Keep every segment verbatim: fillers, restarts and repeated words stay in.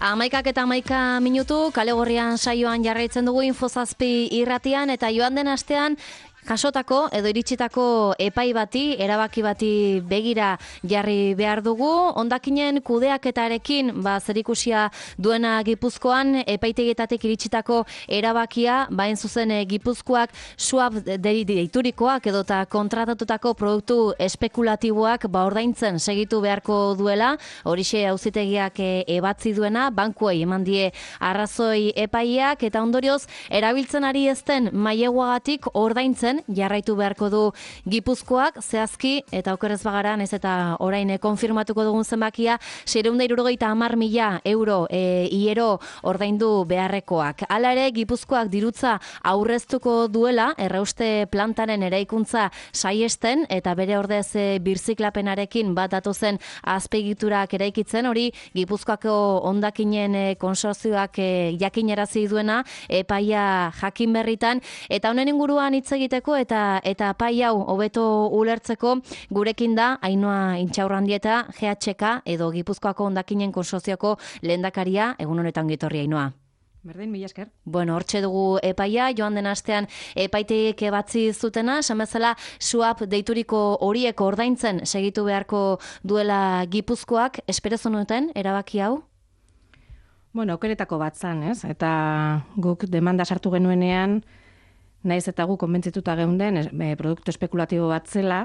Amaikak eta amaika minutu, kale gorrian saioan jarraitzen dugu Infozazpi irratian, eta joan den astean jasotako edo iritsitako epai bati, erabaki bati begira jarri behar dugu. Hondakinen kudeaketarekin ba, zerikusia duena Gipuzkoan, epaitegietatik iritsitako erabakia, bain zuzen Gipuzkoak swap deiturikoak edota kontratatutako produktu espekulatiboak ba, ordaintzen segitu beharko duela, horixe auzitegiak ebatzi duena, bankuei eman die arrazoi epaiak, eta ondorioz, erabiltzen ari ezten maileguagatik ordaintzen jarraitu beharko du Gipuzkoak, zehazki, eta okerrez bagara, ez eta orain e, konfirmatuko dugun zenbakia, seiehun eta hirurogeita hamar mila euro e, iero ordaindu beharrekoak. Hala ere, Gipuzkoak dirutza aurreztuko duela, errauste plantaren eraikuntza saiesten, eta bere ordez e, birziklapenarekin bat datozen azpegiturak eraikitzen, hori Gipuzkoako hondakinen e, konsortzioak e, jakinarazi duena, epaia jakin berritan, eta honen inguruan hitz egiteko eta eta pai hau hobeto ulertzeko gurekin da Ainhoa Intxaurrandieta, G H K edo Gipuzkoako hondakinen konsortzioko lehendakaria. Egun honetan gitorri, Ainhoa. Berdin, mila esker. Bueno, hortxe dugu epaia, joan den astean epaitegiek ebatzi zutena, esan bezala swap deituriko horiek ordaintzen segitu beharko duela Gipuzkoak. Espero zenuten erabaki hau? Bueno, aukeretako bat zan, ez? Eta guk demanda sartu genuenean, naiz eta gu konbentzituta geunden, e, produktu espekulatibo bat zela,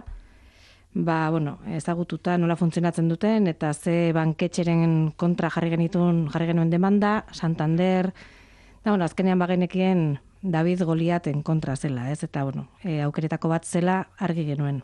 ba, bueno, ezagututa nola funtzionatzen duten, eta ze banketxeren kontra jarri genitun, jarri genuen demanda, Santander, da, bueno, azkenean bagenekien David Goliaten kontra zela, ez? Eta, bueno, e, aukeretako bat zela argi genuen.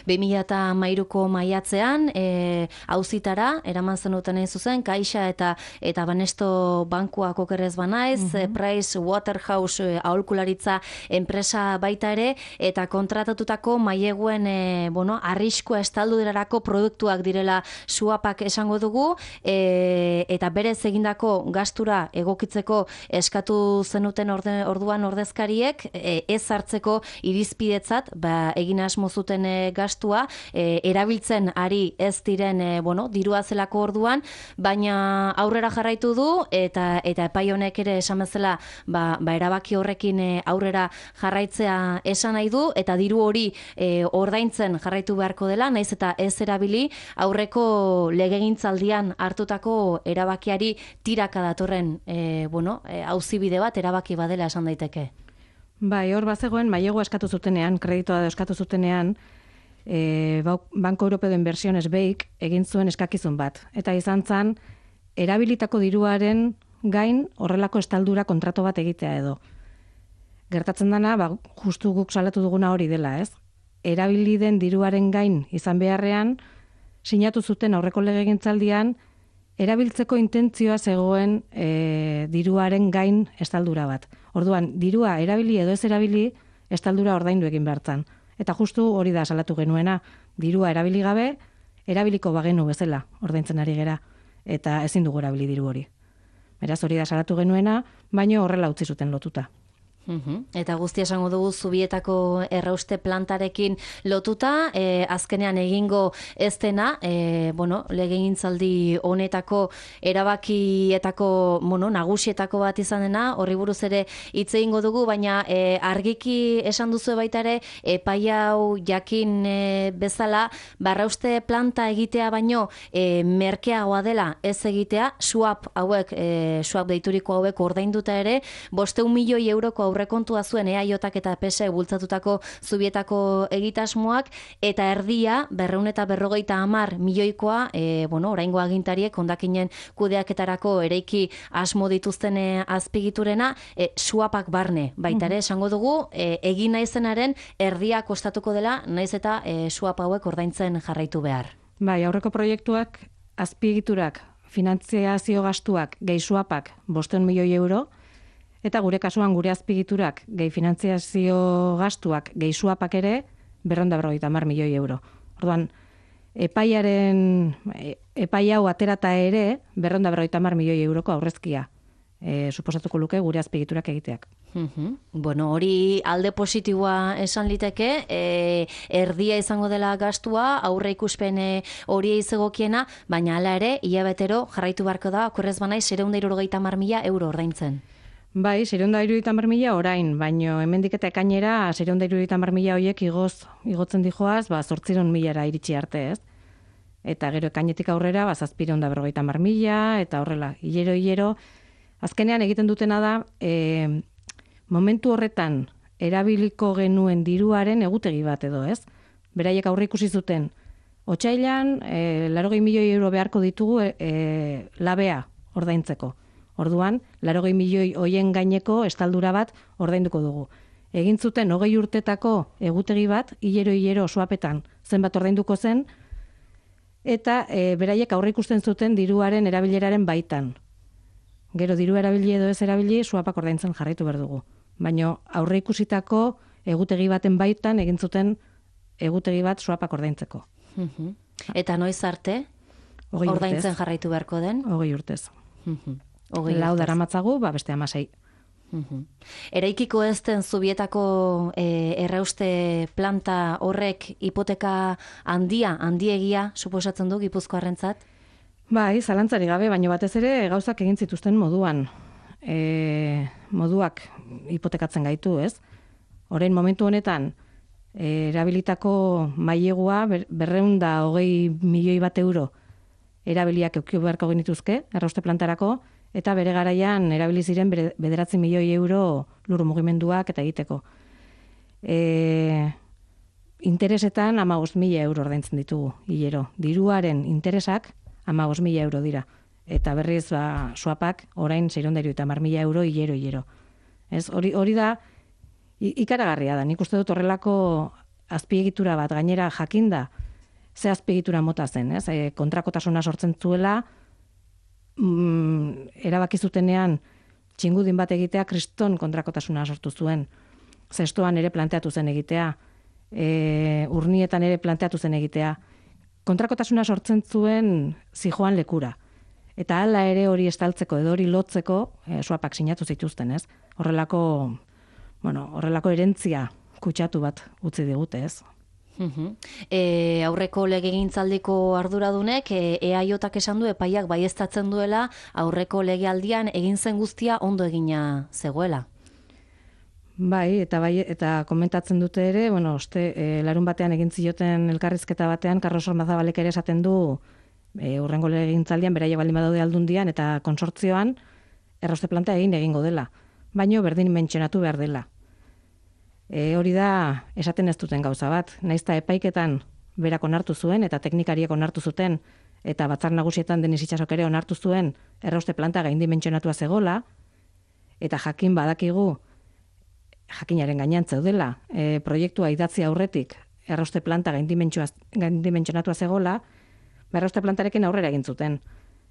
bi mila hamairuko maiatzean e, auzitara eraman zenuten hain zuzen, Caixa eta eta Banesto bankuak okerrez banaiz, uh -huh. Price Waterhouse e, aholkularitza enpresa baita ere, eta kontratatutako maileguen e, bueno, arriskua estalduderarako produktuak direla suapak esango dugu, e, eta berez egindako gastura egokitzeko eskatu zenuten orde, orduan ordezkariek e, ez hartzeko irizpidetzat, ba, egin asmo zuten E, gastua, e, erabiltzen ari ez diren e, bueno, dirua zelako orduan, baina aurrera jarraitu du, eta eta epai honek ere esan bezala ba, ba erabaki horrekin e, aurrera jarraitzea esan nahi du, eta diru hori e, ordaintzen jarraitu beharko dela, naiz eta ez erabili aurreko legegintzaldian hartutako erabakiari tiraka datorren e, bueno, e, auzibide bat erabaki badela esan daiteke. Bai, hor bazegoen, mailegu eskatu zutenean, kreditoa eskatu zutenean, e, Banco Europeo de Inversiones B E I K egin zuen eskakizun bat. Eta izan zen, erabilitako diruaren gain horrelako estaldura kontrato bat egitea edo. Gertatzen dana, ba, justu guk salatu duguna hori dela, ez? Erabili den diruaren gain izan beharrean, sinatu zuten aurreko legegintzaldian, erabiltzeko intentzioa zegoen e, diruaren gain estaldura bat. Orduan, dirua erabili edo ez erabili, estaldura ordaindu egin behartzan. Eta justu hori da salatu genuena, dirua erabili gabe, erabiliko bagenu bezala ordaintzen ari gera, eta ezin dugu erabili diru hori. Beraz, hori da salatu genuena, baino horrela utzi zuten lotuta. Uhum. Eta guztia esango dugu Zubietako errauste plantarekin lotuta, e, azkenean egingo ez dena, e, bueno, legegintzaldi honetako erabakietako, bueno, nagusietako bat izan dena, horri buruz ere hitz egingo dugu, baina e, argiki esan duzu baita ere, epai hau jakin e, bezala, barrauste planta egitea baino e, merkeagoa dela ez egitea, swap hauek, e, swap deituriko hauek ordainduta ere, bosteun milioi euroko aurrekontua zuen E A J eta P S E bultzatutako Zubietako egitasmoak, eta erdia berrehun eta berrogeita hamar milioikoa, e, bueno, oraingo agintariek hondakinen kudeaketarako ereiki asmo dituzten e, azpigiturena, e, suapak barne, baita ere esango dugu, e, egin naizenaren erdia kostatuko dela, naiz eta e, suap hauek ordaintzen jarraitu behar. Bai, aurreko proiektuak, azpigiturak, finantziazio gastuak, gehi suapak, bosteun milioi euro, eta gure kasuan gure azpigiturak, gehi finantziazio gastuak, gehi suapak ere, berrehun eta berrogeita hamar milioi euro. Orduan, epaiaren, epai hau aterata ere, berrehun eta berrogeita hamar milioi euroko aurrezkia e, suposatuko luke gure azpigiturak egiteak. Mhm. Bueno, hori alde positiboa esan liteke, e, erdia izango dela gastua, aurre ikuspen hori izegokiena, baina hala ere, hilabetero jarraitu beharko da, okorrez banaiz, seiehun eta hirurogeita hamar mila euro ordaintzen. Bai, seiehun eta hirurogeita hamar mila orain, baino hemendik eta ekainera seiehun eta hirurogeita hamar mila horiek igoz, igotzen dijoaz, ba, zortziehun milara iritsi arte, ez? Eta gero ekainetik aurrera, ba, zazpiehun eta berrogeita hamar mila, eta horrela, hilero, hilero, azkenean egiten dutena da, e, momentu horretan erabiliko genuen diruaren egutegi bat edo, ez? Beraiek aurre ikusi zuten, otsailean, e, larogei milioi euro beharko ditugu e, labea ordaintzeko. Orduan, larogei milioi hoien gaineko estaldura bat ordainduko dugu. Egin zuten hogei urtetako egutegi bat, hilero-hilero suapetan zenbat ordainduko zen, eta e, beraiek aurre ikusten zuten diruaren erabileraren baitan. Gero diru erabili edo ez erabili, suapak ordaintzen jarraitu behar dugu. Baina aurre ikusitako egutegi baten baitan egin zuten egutegi bat suapak ordaintzeko. Mhm. Eta noiz arte? Ordaintzen jarraitu beharko den? Hogei urtez. Mhm. Lau daramatzagu, ba beste hamasei. Mhm. Eraikiko ez den Zubietako e, errauste planta horrek hipoteka handia, handiegia suposatzen du Gipuzkoarrentzat? Bai, zalantzari gabe, baina batez ere gauzak egin zituzten moduan. E, moduak hipotekatzen gaitu, ez? Orain momentu honetan, e, erabilitako mailegua berrehun eta hogei milioi bat euro erabiliak eukio beharko genituzke, errauste plantarako, eta bere garaian erabili ziren bederatzi milioi euro lur mugimenduak eta egiteko. E, interesetan hamabost mila euro ordaintzen ditugu, hilero. Diruaren interesak hamabost mila euro dira. Eta berriz, ba, suapak, orain seiehun eta hirurogeita hamar mila euro hilero, hilero. Ez, hori, hori da, ikaragarria da. Nik uste dut horrelako azpiegitura bat, gainera jakinda, ze azpiegitura mota zen, ez? E, kontrakotasuna sortzen zuela, mm, erabaki zutenean txingudin bat egitea kriston kontrakotasuna sortu zuen. Zestoan ere planteatu zen egitea, e, urnietan ere planteatu zen egitea. Kontrakotasuna sortzen zuen zijoan lekura. Eta hala ere hori estaltzeko edo hori lotzeko e, suapak sinatu zituzten, ez? Horrelako, bueno, horrelako erentzia kutsatu bat utzi digute, ez? Uhum. E, aurreko legegintzaldiko arduradunek e, eaiotak esan du epaiak baieztatzen duela aurreko legealdian egin zen guztia ondo egina zegoela. Bai, eta bai, eta komentatzen dute ere, bueno, oste, e, larun batean egin zioten elkarrizketa batean, Carlos Ormazabalek ere esaten du e, urrengo legegintzaldian beraiek baldin badaude aldundian eta konsortzioan errauste planta egin egingo dela, baino berdin mentsionatu behar dela. E, hori da, esaten ez duten gauza bat. Naizta epaiketan berak onartu zuen, eta teknikariek onartu zuten, eta batzar nagusietan Denis Itsasok ere onartu zuen, errauste planta gaindimentsionatua zegola, eta jakin badakigu, jakinaren gainean zeudela, e, proiektua idatzi aurretik, errauste planta gaindimentsionatua zegola, ba, errauste plantarekin aurrera egin zuten.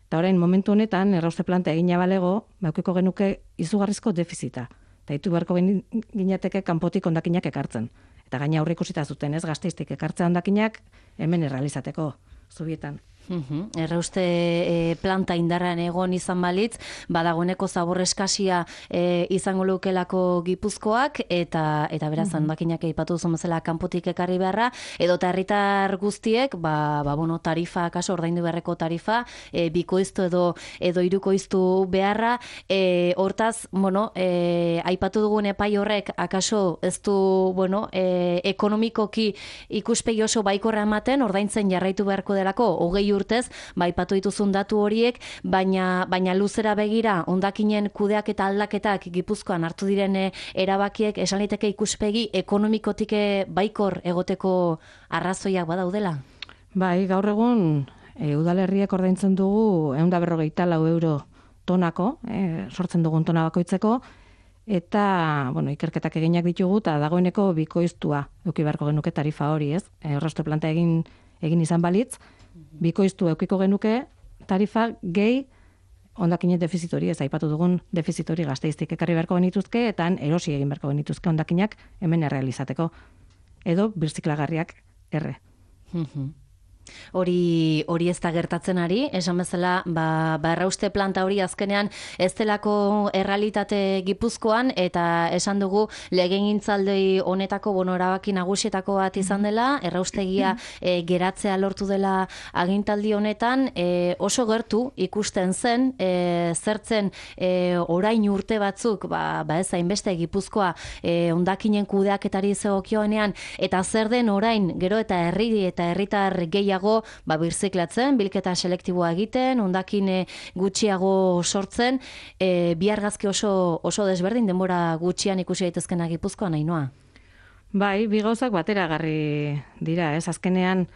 Eta orain, momentu honetan, errauste planta egina balego, baukiko genuke izugarrizko defizita. Eta ditu beharko ginateke kanpotik hondakinak ekartzen. Eta gaina aurre ikusita zuten, ez, Gasteiztik ekartzea hondakinak hemen errealizateko, Zubietan. Uhum. Errauste e, planta indarrean egon izan balitz, badagoeneko zabor eskasia e, izango lukelako Gipuzkoak, eta eta beraz hondakinak uhum. Aipatu duzu bezala kanpotik ekarri beharra, edo herritar guztiek, ba, ba bueno, tarifa, kaso ordaindu beharreko tarifa, e, bikoiztu edo edo hirukoiztu beharra, e, hortaz, bueno, e, aipatu dugun epai horrek akaso ez du, bueno, e, ekonomikoki ikuspegi oso baikorra ematen, ordaintzen jarraitu beharko delako, hogei urtez, baipatu dituzun datu horiek, baina baina luzera begira hondakinen kudeak eta aldaketak Gipuzkoan hartu diren erabakiek esan liteke ikuspegi ekonomikotik baikor egoteko arrazoiak badaudela. Bai, gaur egun e, udalerriek ordaintzen dugu ehun eta berrogeita lau euro tonako, e, sortzen dugun tona bakoitzeko, eta bueno, ikerketak eginak ditugu eta dagoeneko bikoiztua eduki beharko genuke tarifa hori, ez? Errauste planta egin egin izan balitz, bikoiztu eukiko genuke tarifa gehi hondakinen defizitori, ez aipatu dugun defizitori Gasteiztik ekarri beharko genituzke, eta erosi egin beharko genituzke hondakinak hemen errealizateko. Edo birziklagarriak erre. Mhm. Hori hori ez da gertatzen ari, esan bezala, ba, ba errauste planta hori azkenean ez delako errealitate Gipuzkoan, eta esan dugu legegintzaldi honetako bueno, erabaki nagusietako bat izan dela, erraustegia e, geratzea lortu dela agintaldi honetan, e, oso gertu ikusten zen, e, zertzen e, orain urte batzuk, ba, ba ez hainbeste Gipuzkoa e, hondakinen kudeaketari zegokionean, eta zer den orain, gero eta herri eta herritar gehiago ba, birziklatzen, bilketa selektiboa egiten, hondakine gutxiago sortzen, e, bi argazki oso, oso desberdin denbora gutxian ikusi daitezkena Gipuzkoan, Ainhoa. Bai, bi gauzak bateragarri dira, ez? Azkenean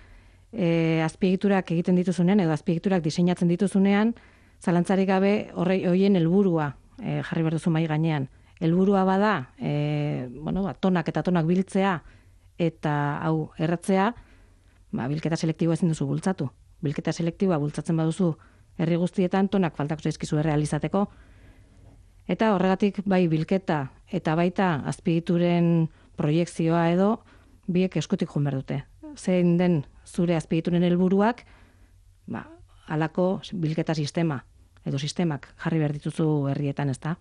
e, azpiegiturak egiten dituzunean edo azpiegiturak diseinatzen dituzunean, zalantzarik gabe horre hoien helburua e, jarri behar duzu mai gainean. Helburua bada, e, bueno, ba, tonak eta tonak biltzea eta hau erratzea, ba, bilketa selektiboa ezin duzu bultzatu. Bilketa selektiboa bultzatzen baduzu herri guztietan tonak faltako zaizkizu errealizateko. Eta horregatik bai bilketa eta baita azpiegituren proiekzioa edo biek eskutik joan behar dute. Zein den zure azpiegituren helburuak, ba, halako bilketa sistema edo sistemak jarri behar dituzu herrietan, ezta?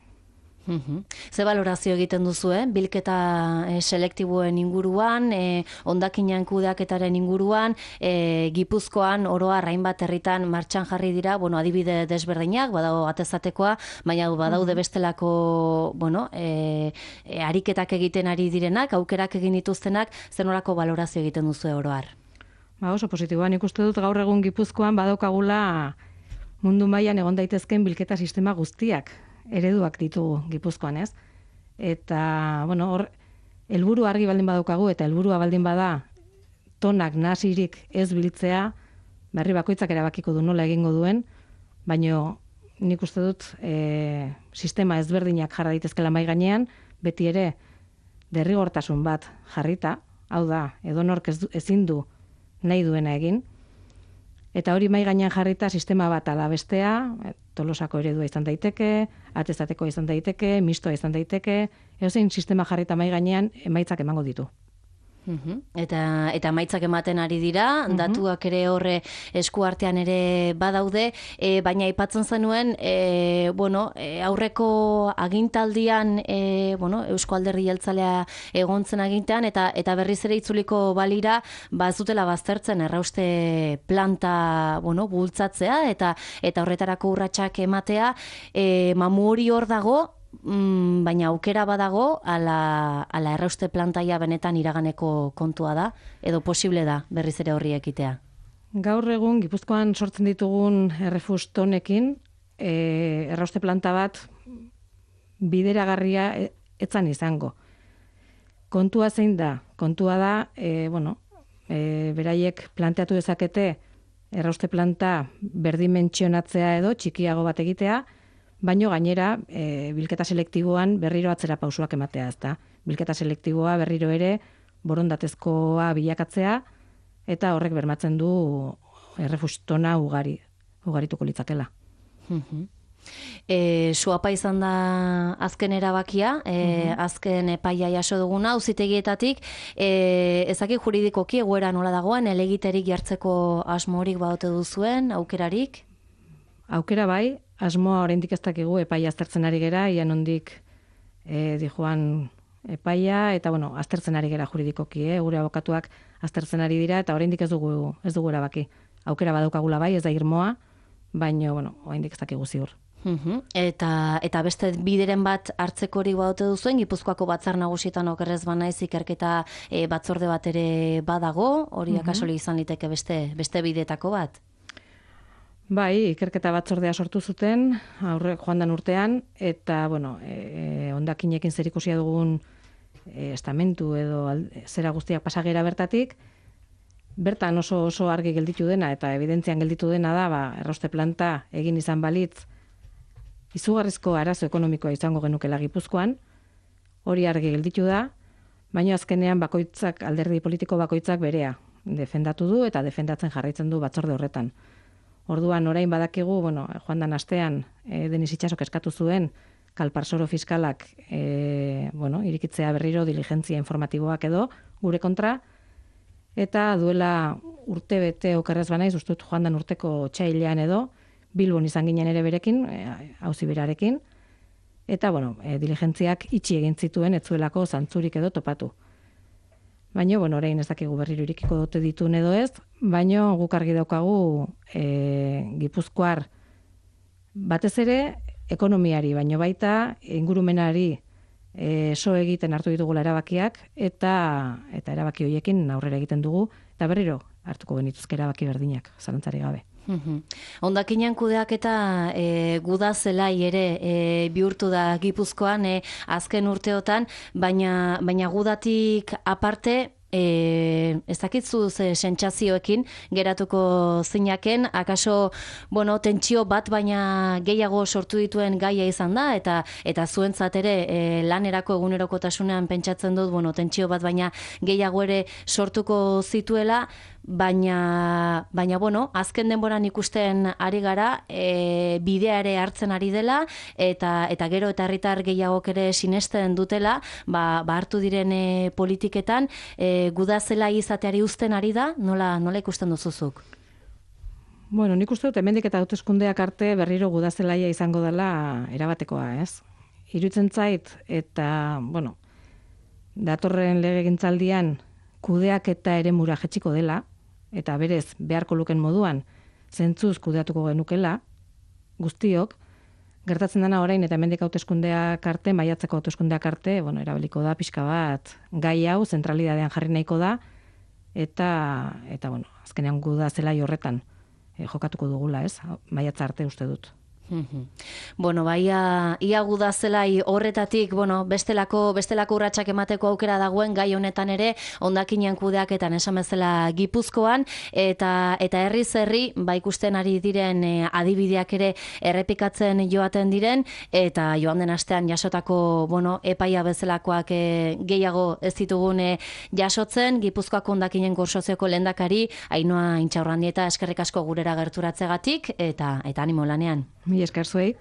Uhum. Ze balorazio egiten duzu, eh? Bilketa eh, selektiboen inguruan, eh, hondakinean kudeaketaren inguruan, eh, Gipuzkoan oroar hainbat herritan martxan jarri dira, bueno, adibide desberdinak, badago atezatekoa, baina badaude bestelako, bueno, eh, eh, ariketak egiten ari direnak, aukerak egin dituztenak, zer norako balorazio egiten duzu oroar? Ba, oso positiboan ikuste dut gaur egun Gipuzkoan badaukagula mundu mailan egon daitezkeen bilketa sistema guztiak ereduak ditugu Gipuzkoan, ez? Eta, bueno, hor, helburu argi baldin badaukagu eta helburua baldin bada tonak nasirik ez biltzea, berri bakoitzak erabakiko du nola egingo duen, baino nik uste dut e, sistema ezberdinak jarra daitezkela mai gainean, beti ere derrigortasun bat jarrita, hau da, edonork ez, ezin du nahi duena egin, eta hori mai gainean jarrita sistema bat ala bestea, Tolosako eredua izan daiteke, atezateko izan daiteke, mistoa izan daiteke, edozein sistema jarrita mai gainean emaitzak emango ditu. Uhum. Eta eta emaitzak ematen ari dira, uhum. Datuak ere horre eskuartean ere badaude, e, baina aipatzen zenuen, e, bueno, e, aurreko agintaldian, e, bueno, Eusko Alderdi Jeltzalea egontzen agintean, eta eta berriz ere itzuliko balira, ba ez dutela baztertzen errauste planta, bueno, bultzatzea, eta eta horretarako urratsak ematea, e, mamu hori hor dago, Mm, baina aukera badago ala, ala errauste plantaia benetan iraganeko kontua da, edo posible da berriz ere horri ekitea? Gaur egun Gipuzkoan sortzen ditugun errefustonekin e, errauste planta bat bideragarria etzan izango. Kontua zein da? Kontua da, e, bueno, e, beraiek planteatu dezakete errauste planta berdimentsionatzea edo txikiago bat egitea, baino gainera, e, bilketa selektiboan berriro atzera pausuak ematea, ezta. Bilketa selektiboa berriro ere borondatezkoa bilakatzea, eta horrek bermatzen du errefustona ugari, ugarituko litzakela. Mhm. E, suapa izan da azken erabakia, e, uh-huh. azken epaia jaso duguna, auzitegietatik, e, ezaki juridikoki egoera nola dagoen, elegiterik jartzeko asmorik badote duzuen, aukerarik? Aukera bai, asmoa oraindik ez dakigu epaia aztertzen ari gera, ian ondik e, dijoan epaia, eta bueno, aztertzen ari gera juridikoki, eh? Gure abokatuak aztertzen ari dira, eta oraindik ez dugu, ez dugu erabaki. Aukera badaukagula bai, ez da irmoa, baina, bueno, oraindik ez dakigu ziur. Uhum. Eta, eta beste bideren bat hartzekorik badote duzuen, Gipuzkoako batzar nagusietan okerrez banaiz ikerketa e, batzorde bat ere badago, hori uh-huh. akasoli izan liteke beste, beste bidetako bat? Bai, ikerketa batzordea sortu zuten, aurre joan dan urtean, eta, bueno, e, hondakinekin zerikusia dugun e, estamentu edo alde, zera guztiak pasagera bertatik, bertan oso oso argi gelditu dena, eta evidentzian gelditu dena da, ba, errauste planta egin izan balitz, izugarrizko arazo ekonomikoa izango genukela Gipuzkoan, hori argi gelditu da, baina azkenean bakoitzak, alderdi politiko bakoitzak berea defendatu du, eta defendatzen jarraitzen du batzorde horretan. Orduan, orain badakigu, bueno, joan dan astean, e, Denis Itxasok eskatu zuen, kalparsoro fiskalak, e, bueno, irikitzea berriro diligentzia informatiboak edo, gure kontra, eta duela urte bete okerrez banaiz, uste dut joan dan urteko txailean edo, Bilbon izan ginen ere berekin, auzi berarekin, eta, bueno, e, diligentziak itxi egin zituen, ez zuelako zantzurik edo topatu. Baina, bueno, orain ez dakigu berriro irikiko dute ditun edo ez, baina guk argi daukagu e, Gipuzkoar batez ere ekonomiari, baino baita ingurumenari e, so egiten hartu ditugula erabakiak, eta eta erabaki horiekin aurrera egiten dugu, eta berriro hartuko genituzke erabaki berdinak, zalantzari gabe. Hondakinen kudeak eta e, guda zelai ere e, bihurtu da Gipuzkoan e, azken urteotan, baina, baina gudatik aparte, E, ez dakitzu ze sentsazioekin geratuko zinaken, akaso, bueno, tentsio bat baina gehiago sortu dituen gaia izan da, eta eta zuentzat ere e, lanerako egunerokotasunean pentsatzen dut, bueno, tentsio bat baina gehiago ere sortuko zituela, baina, baina bueno, azken denboran ikusten ari gara, e, bidea ere hartzen ari dela, eta eta gero eta herritar gehiagok ere sinesten dutela, ba, ba hartu diren e, politiketan, e, guda zela izateari uzten ari da, nola, nola ikusten duzuzuk? Bueno, nik uste dut hemendik eta hauteskundeak arte berriro guda zelaia izango dela erabatekoa, ez? Iruditzen zait, eta, bueno, datorren legegintzaldian kudeak eta eremura jetxiko dela, eta berez beharko luken moduan zentzuz kudeatuko genukela, guztiok, gertatzen dena orain eta hemendik hauteskundeak arte, maiatzeko hauteskundeak arte, bueno, erabiliko da pixka bat gai hau zentralidadean jarri nahiko da, eta, eta bueno, azkenean guda zelai horretan eh, jokatuko dugula, ez? Maiatza arte uste dut. Bueno, baia ia guda zelai horretatik, bueno, bestelako bestelako urratsak emateko aukera dagoen gai honetan ere, hondakinen kudeaketan esan bezala Gipuzkoan, eta eta herriz herri ba ikusten ari diren e, adibideak ere errepikatzen joaten diren, eta joan den astean jasotako, bueno, epaia bezalakoak e, gehiago ez ditugun e, jasotzen, Gipuzkoako hondakinen konsortzioko lehendakari Ainhoa Intxaurrandieta eskerrik asko gurera gerturatzegatik, eta eta animo lanean. Mi esker zuei.